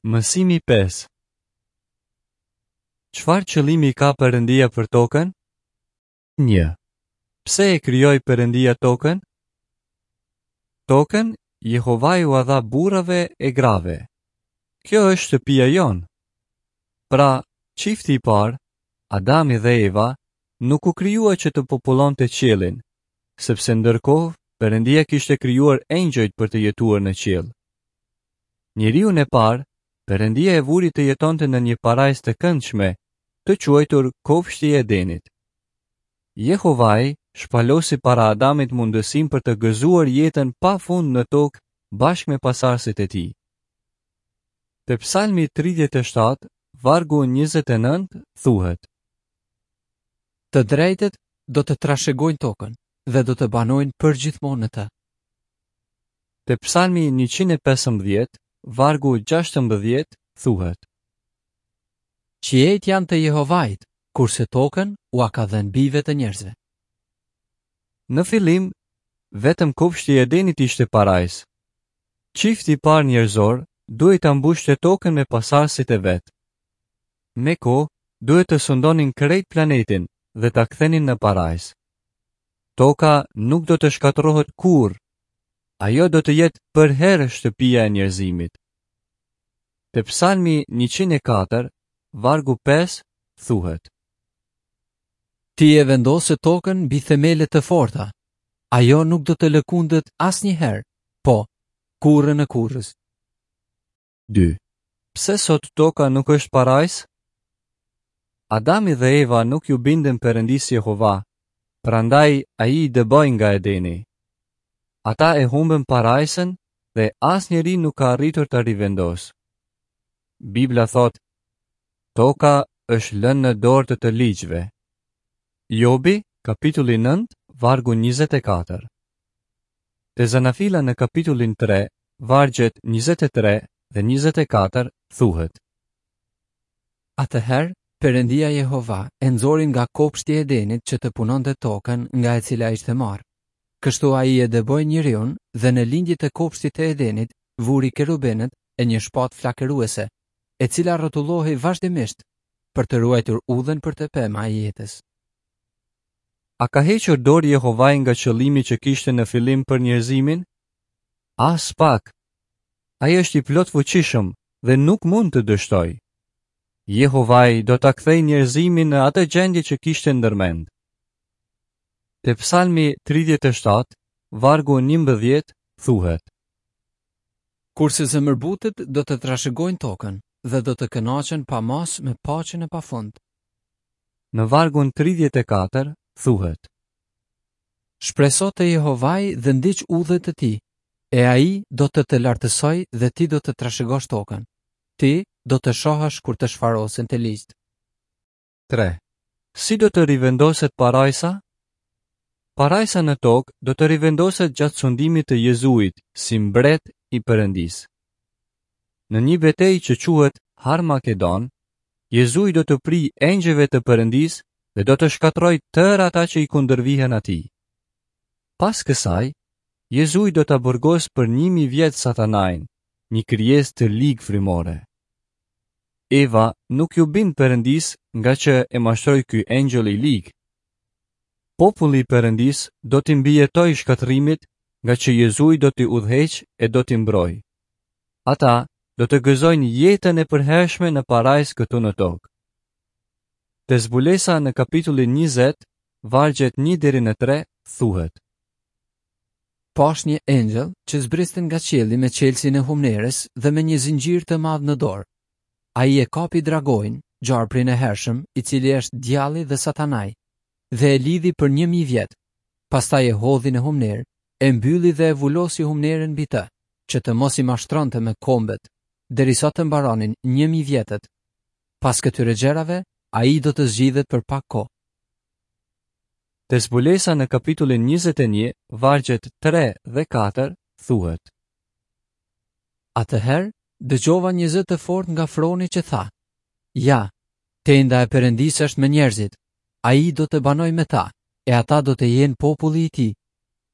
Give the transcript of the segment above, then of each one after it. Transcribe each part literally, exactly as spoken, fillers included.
Mësimi pesë. Çfarë qëllimi ka Perëndia për tokën? Një. Pse e krijoi Perëndia tokën? Tokën Jehovai ua dha burrave e grave. Kjo është shtëpia jonë. Pra, çifti i parë, Adami dhe Eva, nuk u krijua që të popullonte qiellin, sepse ndërkohë Perëndia kishte krijuar engjëjt për të jetuar në qiell. Njeriun e parë, Perëndia e vuri të jetonte në një parajsë të këndshme, të quajtur Kopshti i Edenit. Jehovai shpalosi para Adamit mundësinë për të gëzuar jetën pa fund në tokë bashkë me pasardhësit e tij. Te Psalmi tridhjetë e shtatë, vargu njëzet e nëntë, thuhet: Të drejtët do të trashëgojnë tokën dhe do të banojnë përgjithmonë në të. Te Psalmi njëqind e pesëmbëdhjetë, vargu gjashtëmbëdhjetë, thuhet: Qiejt janë të Jehovait, kurse tokën ua ka dhënë bijve të njerëzve. Në fillim, vetëm kopshti i Edenit ishte parajsë. Çifti i parë njerëzor duhej ta mbushte tokën me pasardhësit e vet. Me kohë, duhet të sundonin krejt planetin dhe ta kthenin në parajsë. Toka nuk do të shkatërrohet kurrë. Ajo do të jetë përherë shtëpia e njerëzimit. Te Psalmi njëqind e katër, vargu pesë, thuhet: Ti e vendose tokën mbi themele të forta. Ajo nuk do të lëkundet asnjëherë, po, kurrën e kurrës. Dy. Pse sot toka nuk është parajsë? Adami dhe Eva nuk ju bindën Perëndisë Jehova, prandaj ai i dëboi nga Edeni. Ata e humbën parajsën dhe asnjëri nuk ka arritur ta rivendosë. Bibla thotë: Toka është lënë në dorë të të ligjve. Jobi, kapitulli nëntë, vargu njëzet e katër. Te Zanafilla në kapitullin tre, vargjet njëzet e tre dhe njëzet e katër, thuhet: Atëherë, Perëndia Jehova e nxori nga kopshti i Edenit që të punonte tokën nga e cila ishte marrë. Kështu ai e dëboi njeriun dhe në lindje të kopshtit të Edenit vuri kerubenët e një shpatë flakëruese, e cila rrotullohej vazhdimisht për të ruajtur udhën për të pema e jetës. A ka hequr dorë Jehovai nga qëllimi që kishte në fillim për njerëzimin? As pak. Ai është i plotfuqishëm dhe nuk mund të dështojë. Jehovai do ta kthejë njerëzimin në atë gjendje që kishte ndërmend. Te Psalmi tridhjetë e shtatë, vargu njëmbëdhjetë, thuhet: Kurse zemërbutët do të trashëgojnë tokën dhe do të kënaqen pa masë me paqen e pafund. Në vargun tridhjetë e katër, thuhet: Shpreso te Jehovai dhe ndiq udhët e tij, e ai do të të lartësojë dhe ti do të trashëgosh tokën. Ti do të shohësh kur të shfarosen të ligjt. Tre. Si do të rivendoset parajsa? Parajsa në tokë do të rivendoset gjatë sundimit të Jezuit si mbret i Perëndisë. Në një betejë që quhet Harmagedon, Jezui do të prijë engjëjve të Perëndisë dhe do të shkatërrojë tërë ata që i kundërvihen atij. Pas kësaj, Jezui do ta burgosë për një mijë vjet Satanain, një krijesë të ligë frymore. Eva nuk ju bind Perëndisë nga që e mashtroi ky engjëll i lig. Populli i Perëndisë do t'i mbijetojë shkatërrimit nga që Jezui do t'i udhëheqë e do t'i mbrojë. Ata do të gëzojnë jetën e përhershme në parajsë këtu në tokë. Te zbulesa në kapitullin njëzet, vargjet një deri në tre, thuhet: Pash një engjëll që zbriste nga qielli me çelësin e humnerës dhe me një zinxhir të madh në dorë. Ai e kapi dragojin, gjarprin e hershëm, i cili është djalli dhe satanai, dhe e lidhi për një mijë vjet. Pastaj e hodhi në humnerë, e mbylli dhe e vulosi humnerën mbi të, që të mos i mashtronte me kombet, derisa të mbaronin një mijë vjetët. Pas këtyre gjërave, ai do të zgjidhet për pak kohë. Te zbulesa në kapitullin njëzet e një, vargjet tre dhe katër, thuhet: Atëherë, dëgjova një zë të fortë nga froni që tha: Ja, tenda e Perëndisë është me njerëzit. Ai do të banojë me ta, e ata do të jenë populli i tij.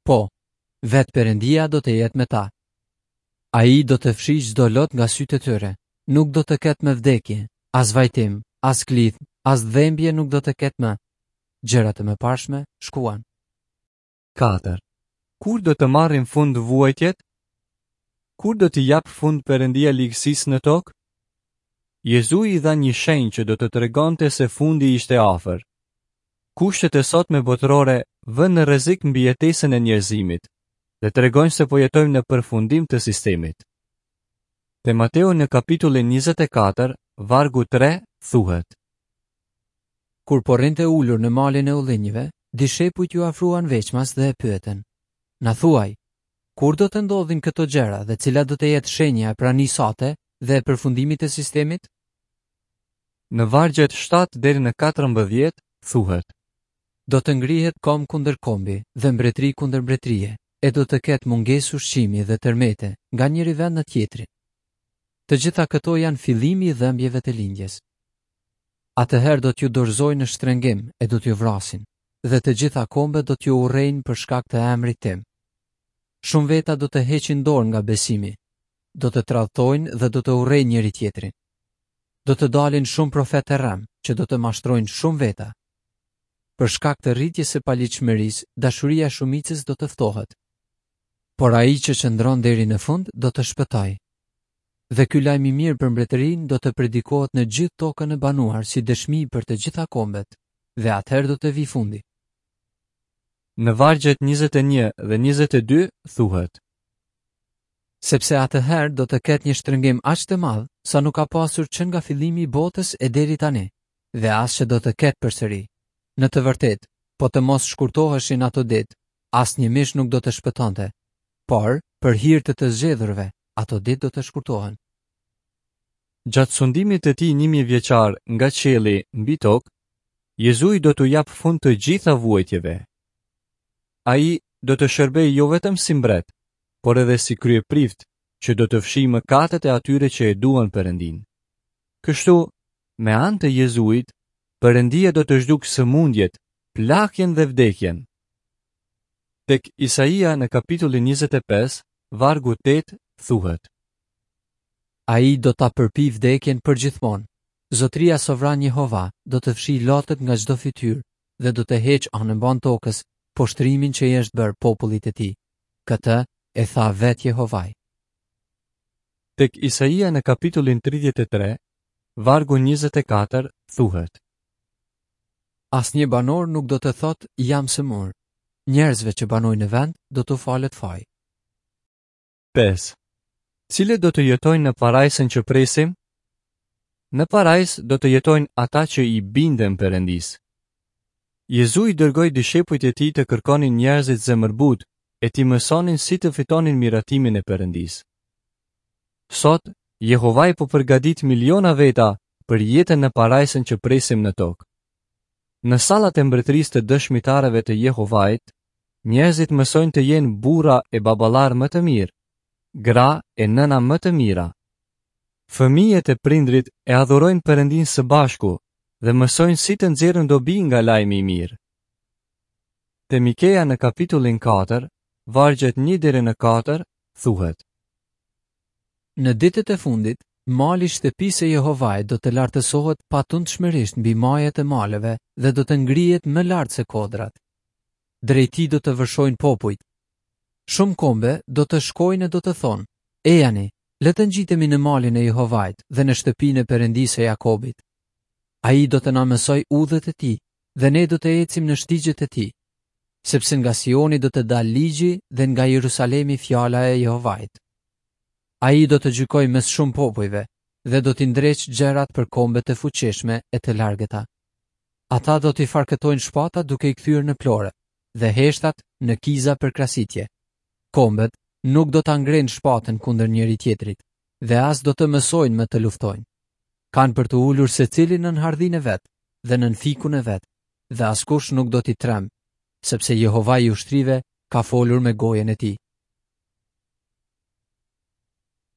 Po, vetë Perëndia do të jetë me ta. Ai do të fshijë çdo lot nga sytë e tyre. Nuk do të ketë më vdekje, as vajtim, as klithmë, as dhembje nuk do të ketë më. Gjërat e mëparshme shkuan. Katër. Kur do të marrin fund vuajtjet? Kur do t'i japë fund Perëndia ligësisë në tokë? Jezui i dha një shenjë që do të tregonte se fundi ishte afër. Kushtet e sotme botërore vënë në rrezik mbijetesën e njerëzimit dhe tregojnë se po jetojmë në përfundim të sistemit. Te Mateu në kapitullin njëzet e katër, vargu tre, thuhet: Kur po rrinte ulur në malin e ullinjve, dishepujt ju afruan veçmas dhe e pyetën: Na thuaj, kur do të ndodhin këto gjëra dhe cila do të jetë shenja e pranisë sate dhe e përfundimit të sistemit? Në vargjet shtatë deri në katërmbëdhjetë thuhet: Do të ngrihet komb kundër kombi dhe mbretëri kundër mbretërie, e do të ketë mungesë ushqimi dhe tërmete nga njëri vend në tjetrin. Të gjitha këto janë fillimi i dhembjeve të lindjes. Atëherë do t'ju dorëzojnë në shtrëngim e do t'ju vrasin, dhe të gjitha kombet do t'ju urrejnë për shkak të emrit tim. Shumë veta do të heqin dorë nga besimi, do të tradhtojnë dhe do të urrejnë njëri tjetrin. Do të dalin shumë profetë të rrem që do të mashtrojnë shumë veta. Për shkak të rritjes së paligjshmërisë, dashuria e shumicës do të ftohet. Por ai që qëndron deri në fund do të shpëtojë. Dhe ky lajm i mirë për mbretërinë do të predikohet në gjithë tokën e banuar si dëshmi për të gjitha kombet, dhe atëherë do të vijë fundi. Në vargjet njëzet e një dhe njëzet e dy thuhet: Sepse atëherë do të ketë një shtrëngim aq të madh sa nuk ka pasur që nga fillimi i botës e deri tani, dhe as që do të ketë përsëri. Në të vërtetë, po të mos shkurtoheshin ato ditë, asnjë mish nuk do të shpëtonte, por për hir të të zgjedhurve, ato ditë do të shkurtohen. Gjatë sundimit të tij një mijë vjeçar nga qielli mbi tokë, Jezui do t'u japë fund të gjitha vuajtjeve. Ai do të shërbejë jo vetëm si mbret, por edhe si kryeprift që do të fshijë mëkatet e atyre që e duan Perëndin. Kështu, me anë të Jezuit, Perëndia do të zhdukë sëmundjet, plakjen dhe vdekjen. Tek Isaia në kapitullin njëzet e pesë, vargu tetë, thuhet: Ai do ta përpi vdekjen përgjithmonë. Zotria sovran Jehova do të fshijë lotët nga çdo fytyrë dhe do të heqë anëmban tokës poshtrimin që i është bërë popullit të tij. Këtë e tha vetë Jehovai. Tek Isaia në kapitullin tridhjetë e tre, vargu njëzet e katër, thuhet: Asnjë banor nuk do të thotë jam sëmur. Njerëzve që banojnë në vend do t'u falet faj. Pesë. Cilët do të jetojnë në parajsën që presim? Në parajsë do të jetojnë ata që i binden Perëndisë. Jezui dërgoi dishepujt e tij të kërkonin njerëzit zemërbut e t'i mësonin si të fitonin miratimin e Perëndisë. Sot, Jehovai po përgatit miliona veta për jetën në parajsën që presim në tokë. Në sallat e mbretërisë të dëshmitarëve të Jehovait, njerëzit mësojnë të jenë burra e baballar më të mirë, gra e nëna më të mira. Fëmijët e prindrit e adhurojnë Perëndin së bashku dhe mësojnë si të nxjerrin dobi nga lajmi i mirë. Te Mikea në kapitullin katër, vargjet një deri në katër, thuhet: Në ditët e fundit, mali i shtëpisë së Jehovait do të lartësohet patundshmërisht mbi majet e maleve dhe do të ngrihet më lart se kodrat. Drejt tij do të vërshojnë popujt. Shumë kombe do të shkojnë e do të thonë: Ejani, le të ngjitemi në malin e Jehovait dhe në shtëpinë e Perëndisë së Jakobit. Ai do të na mësojë udhët e tij dhe ne do të ecim në shtigjet e tij, sepse nga Sioni do të dalë ligji dhe nga Jerusalemi fjala e Jehovait. Ai do të gjykojë mes shumë popujve dhe do t'i ndreq gjërat për kombet e fuqishme e të largëta. Ata do t'i farkëtojnë shpatat duke i kthyer në plore dhe heshtat në kiza për krasitje. Kombet nuk do ta ngrenë shpatën kundër njëri tjetrit dhe as do të mësojnë më të luftojnë. Kanë për të ulur secili nën hardhin e vet dhe nën fikun e vet, dhe askush nuk do t'i tremb, sepse Jehovai i ushtrive ka folur me gojën e tij.